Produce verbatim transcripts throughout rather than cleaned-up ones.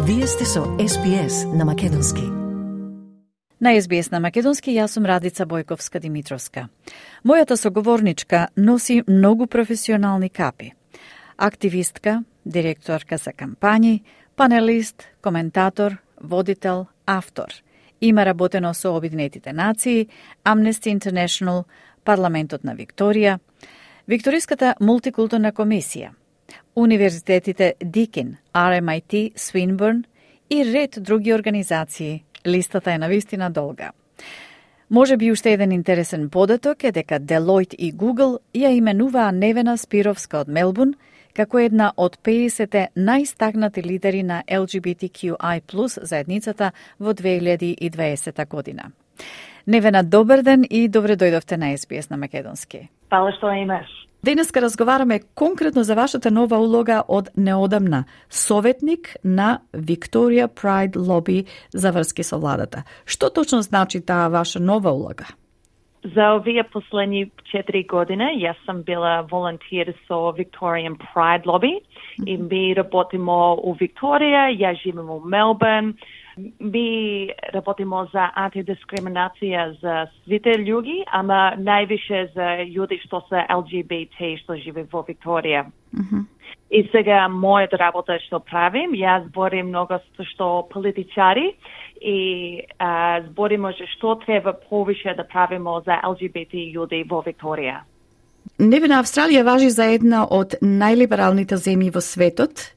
Вие сте со Ес Би Ес на Македонски. На Ес Би Ес на Македонски јас сум Радица Бојковска-Димитровска. Мојата соговорничка носи многу професионални капи. Активистка, директорка за кампањи, панелист, коментатор, водител, автор. Има работено со Обединетите нации, Amnesty International, Парламентот на Викторија, Викториската мултикултурна комисија, универзитетите Дикин, Ар Ем Ай Ти, Свинбурн и ред други организации. Листата е навистина долга. Може би уште еден интересен податок е дека Deloitte и Google ја именуваа Невена Спировска од Мелбурн како една од педесет најстакнати лидери на Ел Џи Би Ти Кју Ај плюс заедницата во две илјади и дваесета година. Невена, добар ден и добре дојдовте на Ес Би Ес на Македонски. Фала што имаш. Денеска разговараме конкретно за вашата нова улога од неодамна, советник на Victoria Pride Lobby за врски со владата. Што точно значи таа ваша нова улога? За овие последни четири години јас сум била волонтер со Victorian Pride Lobby и ми работимо у Викторија, ја живеам у Мелбурн. Ми работимо за антидискриминација за сите луѓе, ама највише за луѓе што се Ел Џи Би Ти што живе во Викторија. Mm-hmm. И сега мојата работа што правим, јас зборим многу што политичари и а, збориме што треба повише да правимо за Ел Џи Би Ти луѓе во Викторија. Невена, Австралија важи за една од најлибералните земји во светот.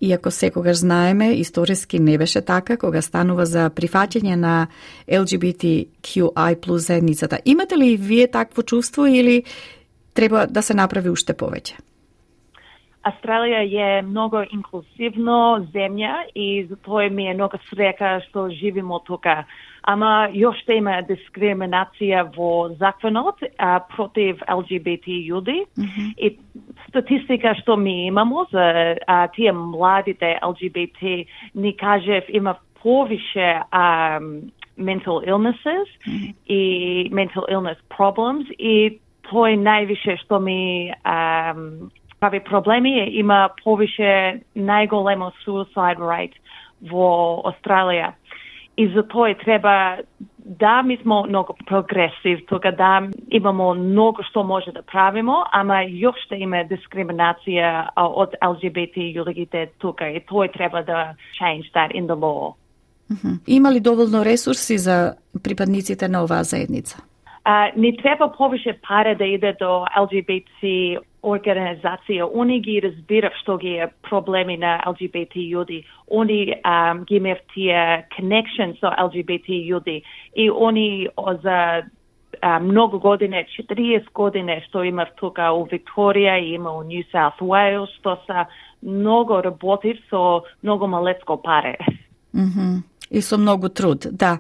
Иако секогаш знаеме, историски не беше така, кога станува за прифаќање на Ел Џи Би Ти Кју Ај плюс заедницата. Имате ли вие такво чувство или треба да се направи уште повеќе? Австралија е многу инклузивно земја и затоа ми е многу среќа што живимо тука. Ама још има дискриминација во законот а, против Ел Џи Би Ти луѓе. Mm-hmm. И статистика што ми имамо за а, тие младите Ел Џи Би Ти, ни кажев има повише um, mental illnesses mm-hmm. и mental illness problems и тој највише што ми um, прави проблеми, има повише најголемо suicide rate во Австралија. И затоа треба да ми сме многу прогресив, тука да имамо многу што може да правимо, ама још ще има дискриминација од Ел Џи Би Ти луѓето тука и тој треба да change that in the law. Mm-hmm. Има ли доволно ресурси за припадниците на оваа заедница? Uh, не треба повише пари да иде до Ел Џи Би Ти организација. Они ги разбирав што ги е проблеми на Ел Џи Би Ти луѓе. Они um, ги имав тие connection со Ел Џи Би Ти луѓе. И они за uh, многу години, четириесет години што имав тука у Викторија и има у Нью Саут Уејлс, што са многу работив со многу малецко пари. Mm-hmm. И со многу труд, да.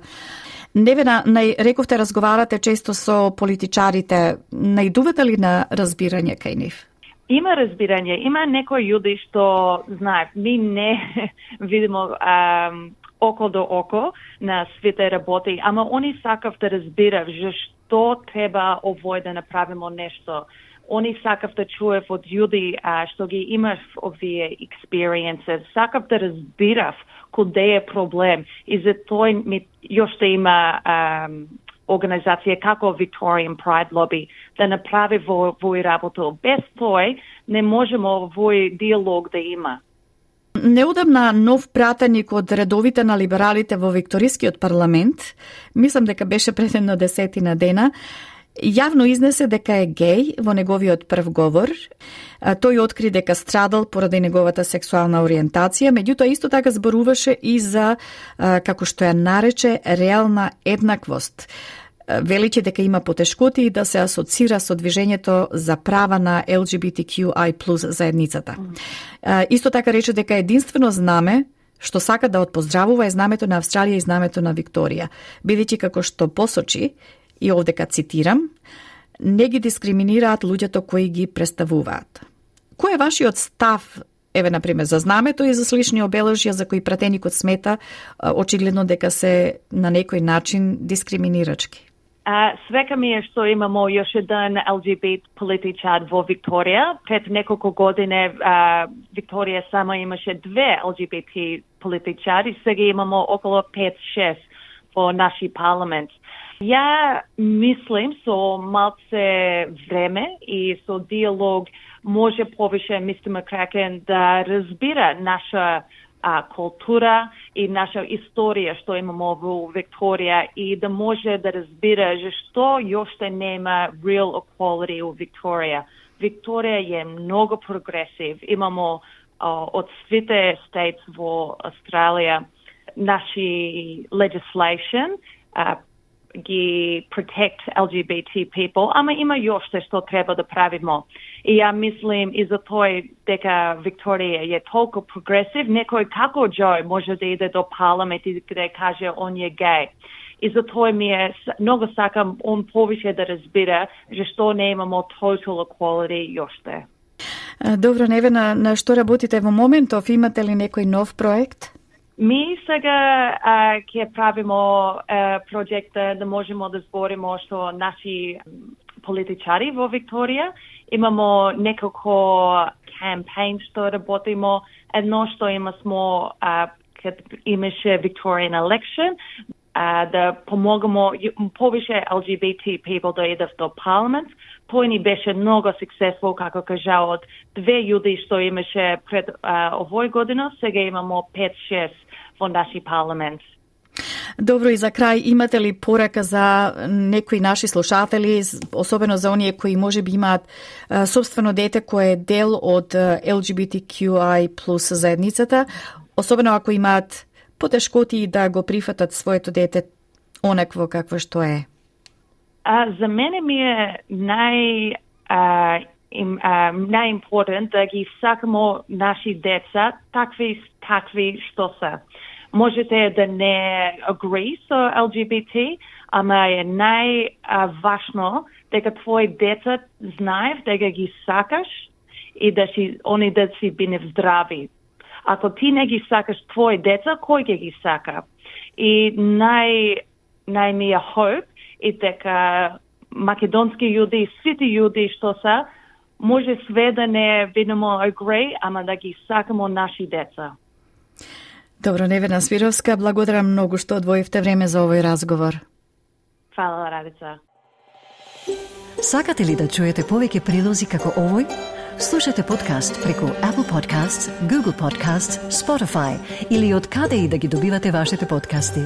Невена, нај, рековте разговарате често со политичарите, најдувате ли на разбирање кај нив? Има разбирање, има некои луѓе што знаат, ми не видимо ам, око до око на свите работи, ама они сакав да разбирав што треба овој да направимо нешто. Они сакав да чуев од луѓе што ги имав овие experiences, сакав да разбирав каде е проблем и за тој ми још да има um, организација како Victorian Pride Lobby да направи во овој работа. Без тој не можеме овој диалог да има. Неодамна нов пратеник од редовите на либералите во Викторискиот парламент, мислам дека беше пред едно десетина дена, јавно изнесе дека е геј во неговиот прв говор. Тој откри дека страдал поради неговата сексуална ориентација, меѓутоа исто така зборуваше и за, како што ја нарече, реална еднаквост. Величе дека има потешкоти да се асоцира со движењето за права на Ел Џи Би Ти Кју Ај плюс заедницата. Mm. Исто така рече дека единствено знаме што сака да отпоздравува е знамето на Австралија и знамето на Викторија, бидејќи како што посочи, и овдека цитирам, не ги дискриминираат луѓето кои ги представуваат. Кој е вашиот став, еве, например, за знамето и за слични обележја за кои пратеникот смета очигледно дека се на некој начин дискриминирачки? Uh, свека ми е што имамо још еден Ел Џи Би Ти политичар во Викторија. Пред неколку години uh, Викторија само имаше две Ел Џи Би Ти политичари, сега имамо околу пет-шест во наши парламент. Ја мислим со малце време и со диалог може повише мистер Макракен да разбира наша а, култура и наша историја што имамо во Викторија и да може да разбира што јоште нема real equality во Викторија. Викторија е многу прогресив. Имамо а, од сите states во Австралија наши legislation а, ги protect Ел Џи Би Ти people, ама има јоште што треба да правимо. И ја мислим и за тој дека Викторија е толку прогресив, некој како Џо може да иде до парламент и да каже он е геј. И за тој ми е, многу сакам он повише да разбира што не имамо total equality јоште. Добро, Невена, на што работите во моментов? Имате ли некој нов проект? Ми сега а, ќе правимо а, проекта да можеме да зборимо што наши политичари во Викторија. Имамо неколку кампањн што работимо. Едно што има смо а, кад имаше Victorian election, а, да помогнемо повише Ел Џи Би Ти people да идат до парламент. Тој ни беше многу successful, како кажа, од две јуди што имаше пред а, овој година, сега имамо пет-шест во наши парламент. Добро, и за крај, имате ли порака за некои наши слушатели, особено за оние кои може би имаат а, собствено дете кој е дел од Ел Џи Би Ти Кју Ај плюс заедницата, особено ако имаат потешкоти да го прифатат своето дете онакво какво што е? А, за мене ми е нај а, им, а, најимпортен да ги сакамо наши деца такви какви што се. Можете да не agree со Ел Џи Би Ти, ама е најважно дека твои деца знаев дека ги сакаш и да си они да си бине здрави. Ако ти не ги сакаш твои деца, кој ќе ги сака? И нај нај ми е hope и дека македонски јуди, сите јуди што се, може све да не видимо agree, ама да ги сакамо наши деца. Добро, Невена Свировска, благодарам многу што одвоивте време за овој разговор. Фала, Радица. Сакате ли да чуете повеќе прилози како овој? Слушате подкаст преку Apple Podcasts, Google Podcasts, Spotify или од каде и да ги добивате вашите подкасти.